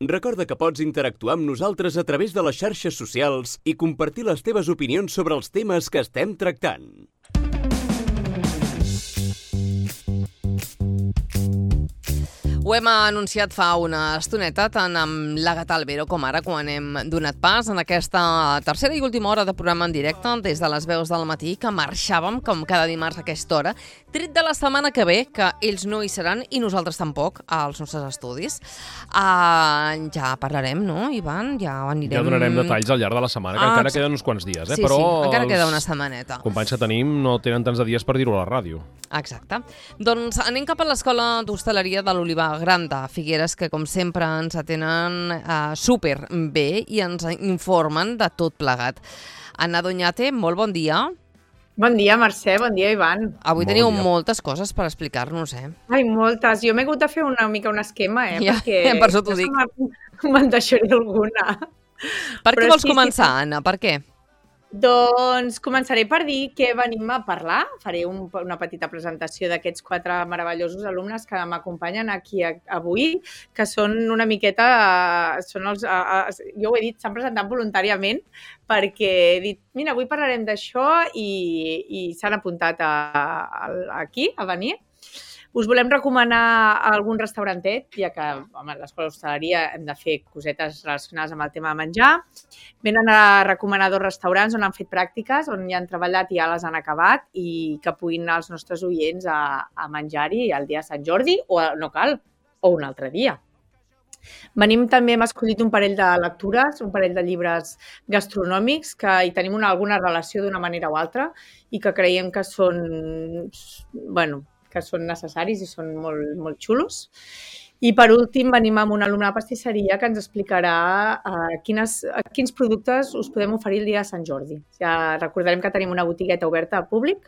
Recorda que pots interactuar amb nosaltres a través de les xarxes socials i compartir les teves opinions sobre els temes que estem tractant. Ho hem anunciat fa una estoneta, tant amb l'Àgata Albero com ara, quan hem donat pas en aquesta tercera i última hora de programa en directe des de les veus del matí, que marxàvem, com cada dimarts a aquesta hora, tret de la setmana que ve, que ells no hi seran i nosaltres tampoc, als nostres estudis. Ja parlarem, no, Ivan? Ja anirem... Ja donarem detalls al llarg de la setmana, que encara queden uns quants dies, Sí, però sí, encara queda una setmaneta. Els companys que tenim no tenen tants de dies per dir-ho a la ràdio. Exacte. Doncs anem cap a l'Escola d'Hostaleria de l'Olivar Gran de Figueres, que com sempre ens atenen super bé i ens informen de tot plegat. Anna Doñate, molt bon dia. Bon dia, Mercè, bon dia, Ivan. Avui teniu moltes coses per explicar-nos, Ai, moltes. Jo m'he hagut de fer una mica un esquema, Ja, perquè per això t'ho dic. Me'n deixaré alguna. Per què vols començar, Anna? Per què? Doncs començaré per dir que venim a parlar. Faré una petita presentació d'aquests 4 meravellosos alumnes que m'acompanyen aquí avui, que són una miqueta... jo ho he dit, s'han presentat voluntàriament perquè he dit, mira, avui parlarem d'això i s'han apuntat aquí a venir. Us volem recomanar algun restaurantet, ja que a l'Escola d'Hostaleria hem de fer cosetes relacionades amb el tema de menjar. Venen a recomanar 2 restaurants on han fet pràctiques, on hi han treballat i ja les han acabat i que puguin anar els nostres oients a menjar-hi el dia de Sant Jordi, o no cal, o un altre dia. Venim també, hem escollit un parell de lectures, un parell de llibres gastronòmics que hi tenim alguna relació d'una manera o altra i que creiem que són, que són necessaris i són molt, molt xulos. I per últim venim amb un alumne de pastisseria que ens explicarà quins productes us podem oferir el dia de Sant Jordi. Ja recordarem que tenim una botigueta oberta al públic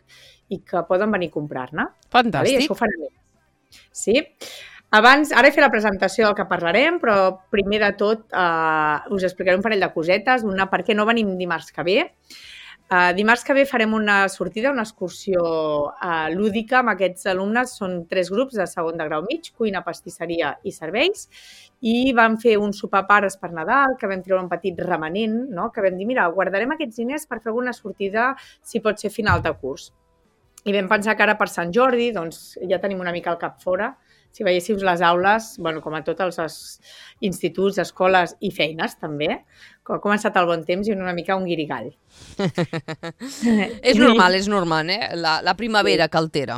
i que poden venir a comprar-ne. Fantàstic. I això ho farem. Sí. Abans, ara he fet la presentació del que parlarem, però primer de tot us explicaré un parell de cosetes. Una, per què no venim dimarts que ve. Dimarts que ve farem una sortida, una excursió lúdica amb aquests alumnes. Són 3 grups de segon de grau mig, cuina, pastisseria i serveis. I vam fer un sopar pares per Nadal, que vam treure un petit remanent, no? Que vam dir, mira, guardarem aquests diners per fer alguna sortida, si pot ser final de curs. I vam pensar que ara per Sant Jordi, doncs ja tenim una mica el cap fora. Si veiéssiu les aules, com a tots els instituts, escoles i feines també, ha començat el bon temps i una mica un guirigall. És normal, la primavera que altera.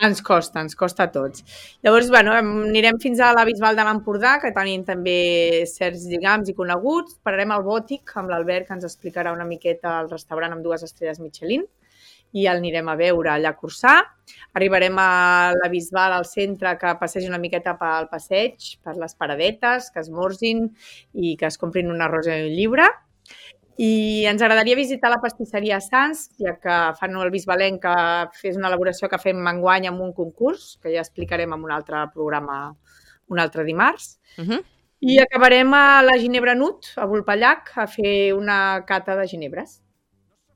Ens costa a tots. Llavors, anirem fins a la Bisbal de l'Empordà, que tenim també certs lligams i coneguts. Pararem al Bòtic amb l'Albert, que ens explicarà una miqueta el restaurant amb 2 estrelles Michelin, i el anirem a veure allà a Corçà. Arribarem a la Bisbal, al centre, que passegi una miqueta pel passeig, per les paradetes, que esmorzin i que es comprin una rosa i un llibre. I ens agradaria visitar la pastisseria Sants, ja que fan el bisbalenc, que és una elaboració que fem enguany amb un concurs, que ja explicarem en un altre programa un altre dimarts. I acabarem a la Ginebra Nut, a Vulpellac, a fer una cata de ginebres.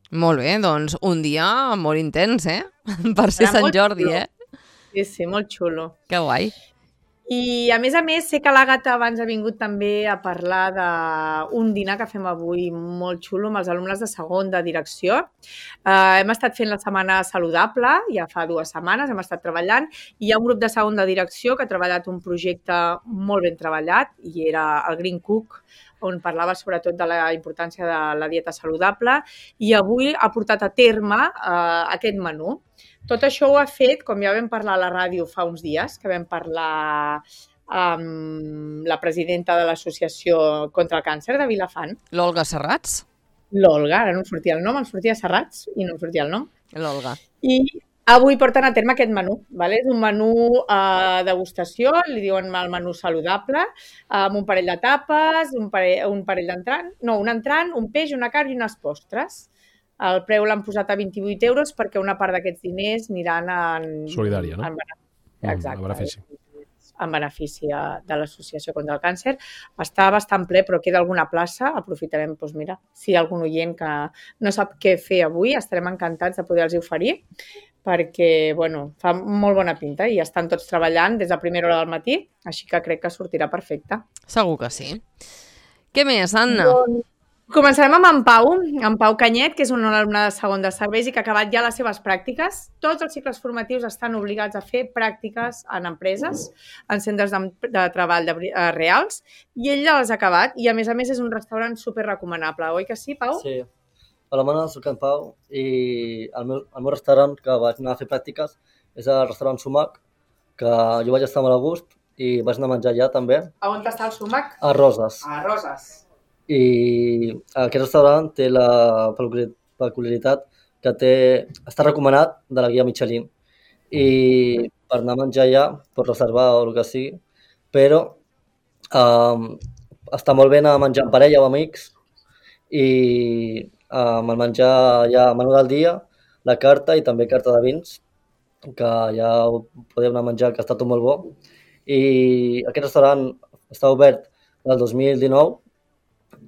Molt bé, doncs un dia molt intens, per ser Sant Jordi, Sí, molt xulo. Que guai. I a més, sé que l'Àgata abans ha vingut també a parlar d'un dinar que fem avui molt xulo amb els alumnes de segon de direcció. Hem estat fent la setmana saludable, ja fa 2 setmanes, hem estat treballant, i hi ha un grup de segon de direcció que ha treballat un projecte molt ben treballat, i era el Green Cook, on parlava sobretot de la importància de la dieta saludable, i avui ha portat a terme aquest menú. Tot això ho ha fet, com ja vam parlar a la ràdio fa uns dies, que vam parlar amb la presidenta de l'Associació contra el Càncer de Vilafant. L'Olga Serrats? L'Olga, ara no em sortia el nom, em sortia Serrats i no em sortia el nom. L'Olga. I avui porten a terme aquest menú. És un menú degustació, li diuen el menú saludable, amb un parell de tapes, un parell d'entrant, un entrant, un peix, una carn i unes postres. El preu l'han posat a 28 euros perquè una part d'aquests diners aniran en... Solidària, no? Exacte. En benefici. En benefici de l'Associació contra el Càncer. Està bastant ple, però queda alguna plaça. Aprofitarem, si hi ha algun oient que no sap què fer avui, estarem encantats de poder-los oferir. perquè, bueno, fa molt bona pinta i estan tots treballant des de primera hora del matí, així que crec que sortirà perfecte. Segur que sí. Què més, Anna? Començarem amb en Pau Canyet, que és un alumne de segon de serveis i que ha acabat ja les seves pràctiques. Tots els cicles formatius estan obligats a fer pràctiques en empreses, en centres de treball reals, i ell ja les ha acabat, i a més és un restaurant superrecomanable, oi que sí, Pau? Sí. Hola, Mana, soc en Pau, i el meu restaurant que vaig anar a fer pràctiques és el restaurant Sumac, que jo vaig estar molt a gust i vaig anar a menjar allà també. A on està el Sumac? A Roses. A Roses. I aquest restaurant té la peculiaritat que està recomanat de la guia Michelin, i per anar a menjar allà pots reservar o el que sigui, però està molt bé anar a menjar en parella o amics, i amb el menjar hi ha menú del dia, la carta i també carta de vins, que ja ho podeu anar a menjar, que està tot molt bo. I aquest restaurant està obert del 2019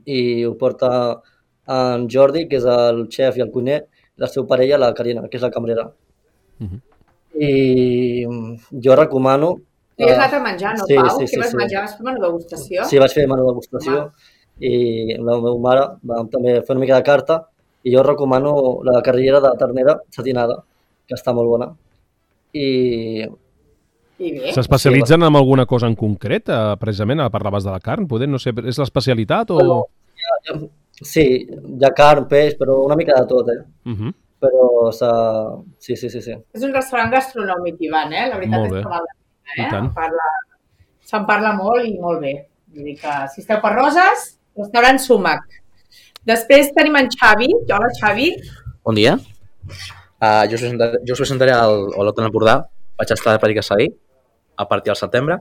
i ho porta en Jordi, que és el xef i el cuiner, i la seva parella, la Carina, que és la cambrera. I jo recomano... Tu has anat a menjar, no, Pau? Què vas menjar? Vas fer menú degustació? Sí, vaig fer menú degustació i la meva mare va també fer una mica de carta, i jo recomano la carrillera de ternera satinada, que està molt bona. S'especialitzen en alguna cosa en concret, precisament? Parlaves de la carn, poder, no sé, és l'especialitat o...? Sí, hi ha carn, peix, però una mica de tot, Però sí. És un restaurant gastronòmic, Ivan, La veritat és que val la pena, Se'n parla molt i molt bé. Vull dir que si esteu per Roses, restaurant Sumac. Després tenim en Xavi. Hola, Xavi. Bon dia. Jo us presentaré al Olot de l'Empordà. Vaig estar de pràctiques ahir, a partir del setembre.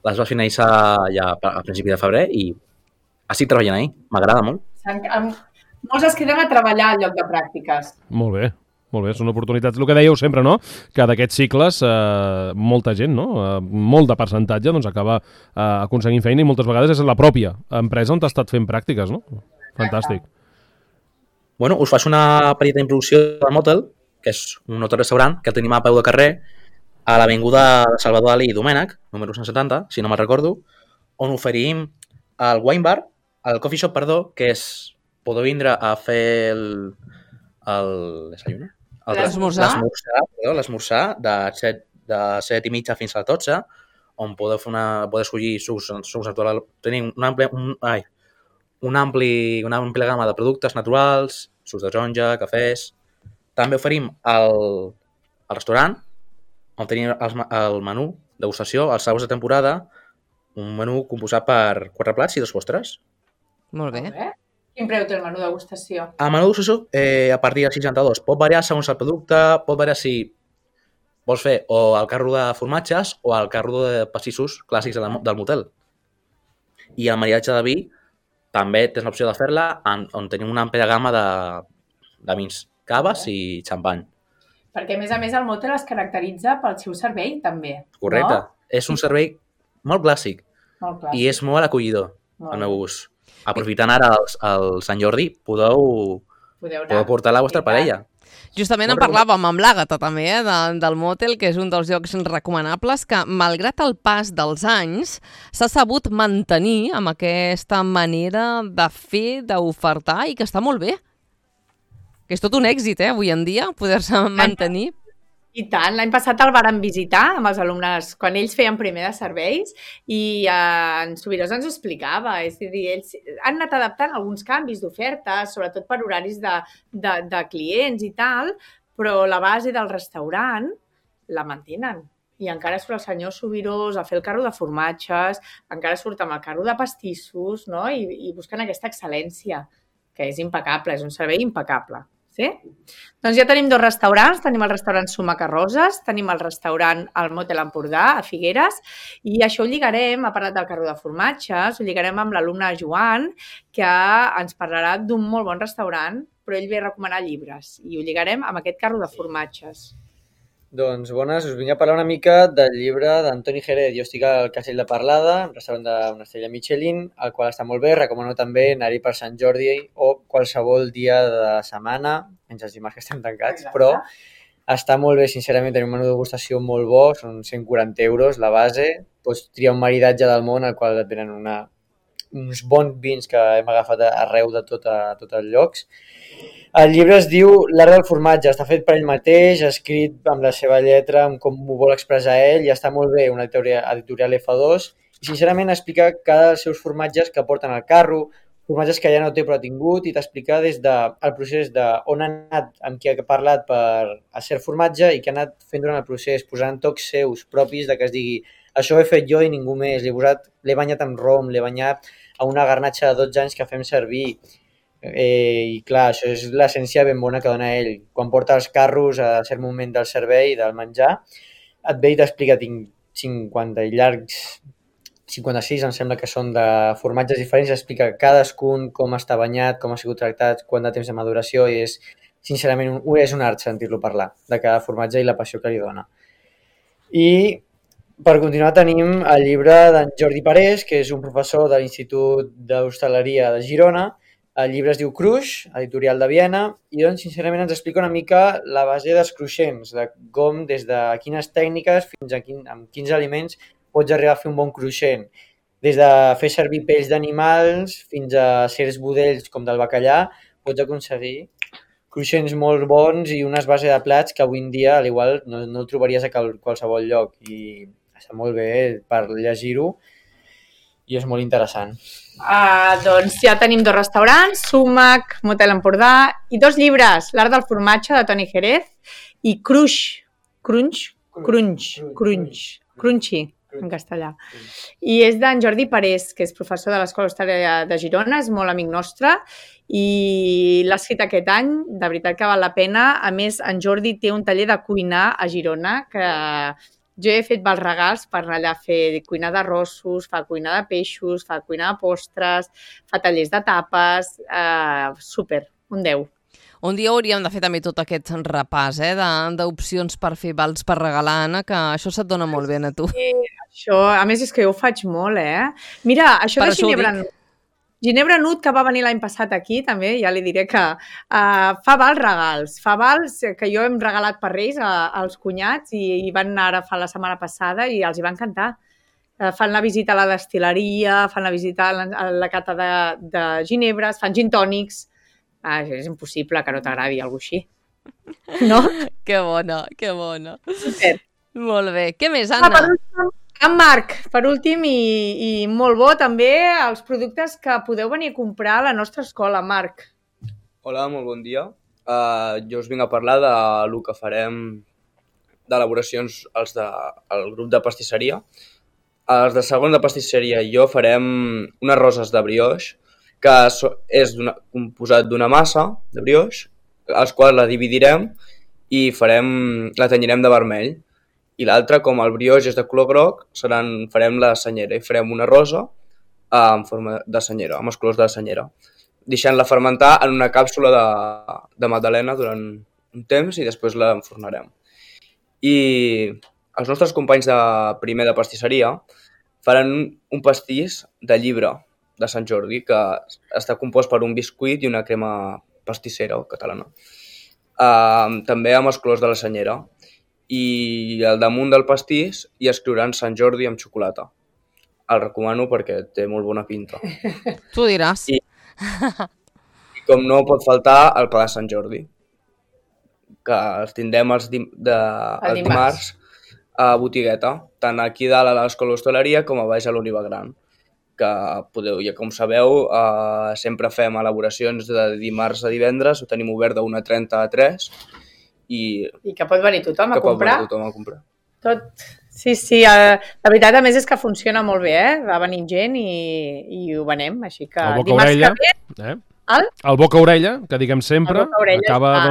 Les vaig finalitzar ja a principi de febrer i estic treballant ahir. M'agrada molt. Molts es queden a treballar al lloc de pràctiques. Molt bé, són oportunitats. El que dèieu sempre, no?, que d'aquests cicles molta gent, no?, molt de percentatge, doncs acaba aconseguint feina i moltes vegades és la pròpia empresa on t'ha estat fent pràctiques, no? Fantàstic. Bueno, us faig una petita introducció del Motel, que és un hotel-restaurant que tenim a peu de carrer a l'avinguda de Salvador Dalí i Domènech, número 170, si no me'n recordo, on oferim el wine bar, el coffee shop, perdó, que és... Podeu vindre a fer el desayuno? L'esmorzar de 7:30 fins a les 12, on podeu escollir sucs naturals. Tenim una àmplia gamma de productes naturals, sucs de taronja, cafès. També oferim el restaurant, on tenim el menú degustació, els saus de temporada, un menú composat per 4 plats i 2 postres. Molt bé. Quin preu té el menú degustació? El menú degustació, a partir de 62, pot variar segons el producte, pot variar si vols fer o el carro de formatges o el carro de pastissos clàssics del motel. I el maridatge de vi també tens l'opció de fer-la on tenim una àmplia gamma de vins, caves i xampany. Perquè, a més, el motel es caracteritza pel seu servei, també. Correcte. No? És un servei molt clàssic. I és molt acollidor, al meu gust. Aprofitant ara el Sant Jordi, podeu portar la vostra parella. Justament en parlàvem amb l'Àgata també, del Motel, que és un dels llocs recomanables que, malgrat el pas dels anys, s'ha sabut mantenir amb aquesta manera de fer, d'ofertar, i que està molt bé. Que és tot un èxit, avui en dia, poder-se mantenir. I tant, l'any passat el vàrem visitar amb els alumnes quan ells feien primer de serveis i en Subirós ens ho explicava, és a dir, ells han anat adaptant alguns canvis d'ofertes, sobretot per horaris de clients i tal, però la base del restaurant la mantenen. I encara surt el senyor Subirós a fer el carro de formatges, encara surt amb el carro de pastissos, no? I busquen aquesta excel·lència, que és impecable, és un servei impecable. Sí? Doncs ja tenim 2 restaurants, tenim el restaurant Sumac a Roses, tenim el restaurant El Motel Empordà a Figueres, i això ho lligarem, ha parlat del carro de formatges, ho lligarem amb l'alumne Joan, que ens parlarà d'un molt bon restaurant, però ell ve a recomanar llibres, i ho lligarem amb aquest carro de formatges. Doncs bones, us vinc a parlar una mica del llibre d'Antoni Jerez. Jo estic al Castell de Parlada, un restaurant d'una estrella Michelin, el qual està molt bé. Recomano també anar-hi per Sant Jordi o qualsevol dia de setmana, menys els dimarts que estem tancats, però Està molt bé, sincerament, tenim un menú de degustació molt bo, són 140 euros la base, pots triar un maridatge del món al qual et venen uns bons vins que hem agafat arreu de tots els llocs. El llibre es diu L'art del formatge, està fet per ell mateix, escrit amb la seva lletra, amb com ho vol expressar ell, i està molt bé, una editorial F2, i sincerament explica cada dels seus formatges que porten al carro, formatges que ja no té però ha tingut, i t'explica des del procés d'on ha anat, amb qui ha parlat per a ser formatge i què ha anat fent durant el procés, posant tocs seus propis de que es digui això ho he fet jo i ningú més, l'he banyat amb rom, l'he banyat a una garnatxa de 12 anys que fem servir. I clar, això és l'essència ben bona que dona ell. Quan porta els carros a cert moment del servei, del menjar, et ve i t'explica, tinc 50 i llargs, 56 em sembla que són de formatges diferents, explica cadascun com està banyat, com ha sigut tractat, quant de temps de maduració, i és, sincerament, és un art sentir-lo parlar de cada formatge i la passió que li dona. I per continuar tenim el llibre d'en Jordi Parés, que és un professor de l'Institut d'Hostaleria de Girona. El llibre es diu Cruix, editorial de Viena, i doncs sincerament ens explica una mica la base dels cruixents, de com des de quines tècniques fins a amb quins aliments pots arribar a fer un bon cruixent. Des de fer servir pells d'animals fins a certs budells com del bacallà, pots aconseguir cruixents molt bons i unes bases de plats que avui en dia al igual no el trobaries a qualsevol lloc, i està molt bé per llegir-ho i és molt interessant. Doncs ja tenim 2 restaurants, Sumac, Motel Empordà, i 2 llibres, L'art del formatge de Toni Jerez i Crunchy, en castellà. I és d'en Jordi Parés, que és professor de l'Escola Hostalera de Girona, és molt amic nostre i l'ha escrit aquest any, de veritat que val la pena. A més, en Jordi té un taller de cuinar a Girona que jo he fet els regals per anar allà a fer cuinar d'arrossos, fa cuinar de peixos, fa cuinar de postres, fa tallers de tapes, super, un 10. Un dia hauríem de fer també tot aquest repàs d'opcions per fer vals per regalar, Anna, que això se't dona molt bé a tu. Sí, això, a més és que jo ho faig molt, Mira, això de Ginebra Nut, que va venir l'any passat aquí, també, ja li diré que fa vals regals. Fa vals que jo hem regalat per Reis als cunyats i van anar ara la setmana passada i els hi va encantar. Fan la visita a la destil·leria, fan la visita a la cata de ginebres, fan gin tònics. És impossible que no t'agradi alguna cosa així. No? Que bona, que bona. Super. Molt bé. Què més, Anna? En Marc, per últim, i molt bo també, els productes que podeu venir a comprar a la nostra escola, Marc. Hola, molt bon dia. Jo us vinc a parlar del que farem d'elaboracions al grup de pastisseria. Els de segon de pastisseria i jo farem unes roses de brioix, que és composat d'una massa de brioix, els quals la dividirem i la tenyirem de vermell. I l'altra, com el brioix és de color groc, farem la senyera i farem una rosa en forma de senyera, amb els colors de la senyera, deixant-la fermentar en una càpsula de magdalena durant un temps i després la enfornarem. I els nostres companys de primer de pastisseria faran un pastís de llibre de Sant Jordi, que està compost per un biscuit i una crema pastissera catalana. També amb els colors de la senyera. I al damunt del pastís hi escriuran Sant Jordi amb xocolata. El recomano perquè té molt bona pinta. Tu diràs. I com no pot faltar el pa de Sant Jordi, que els tindrem els dimarts a botigueta, tant aquí dalt a l'Escola Hostaleria com a baix a l'Oliva Gran, que podeu, ja com sabeu, sempre fem elaboracions de dimarts a divendres, ho tenim obert de 1:30 a 3, i que pot venir tothom a comprar. Tot. Sí, la veritat, a més, és que funciona molt bé, Va venint gent i ho venem, així que dimarts que ve... El boca-orella, que diguem sempre, acaba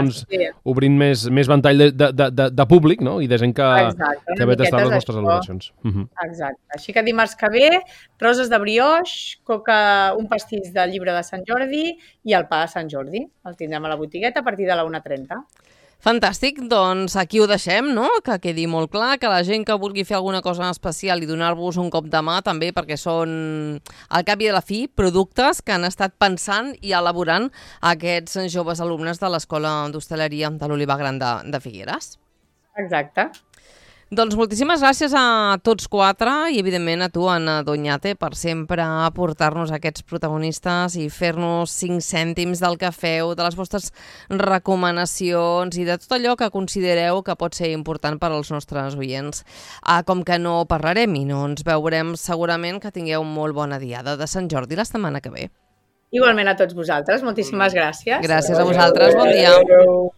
obrint més ventall de públic, no? I de gent que ve a tastar les nostres elaboracions. Exacte. Així que dimarts que ve, roses de brioix, un pastís del llibre de Sant Jordi i el pa de Sant Jordi. El tindrem a la botigueta a partir de la 1:30. Fantàstic, doncs aquí ho deixem, no? Que quedi molt clar, que la gent que vulgui fer alguna cosa especial i donar-vos un cop de mà també, perquè són, al cap i a la fi, productes que han estat pensant i elaborant aquests joves alumnes de l'Escola d'Hostaleria de l'Olivar Gran de Figueres. Exacte. Doncs moltíssimes gràcies a tots quatre i, evidentment, a tu, Anna Doñate, per sempre aportar-nos aquests protagonistes i fer-nos 5 cèntims del que feu, de les vostres recomanacions i de tot allò que considereu que pot ser important per als nostres oients. Com que no parlarem i no ens veurem, segurament que tingueu molt bona diada de Sant Jordi la setmana que ve. Igualment a tots vosaltres. Moltíssimes gràcies. Gràcies a vosaltres. Bon dia. Adéu.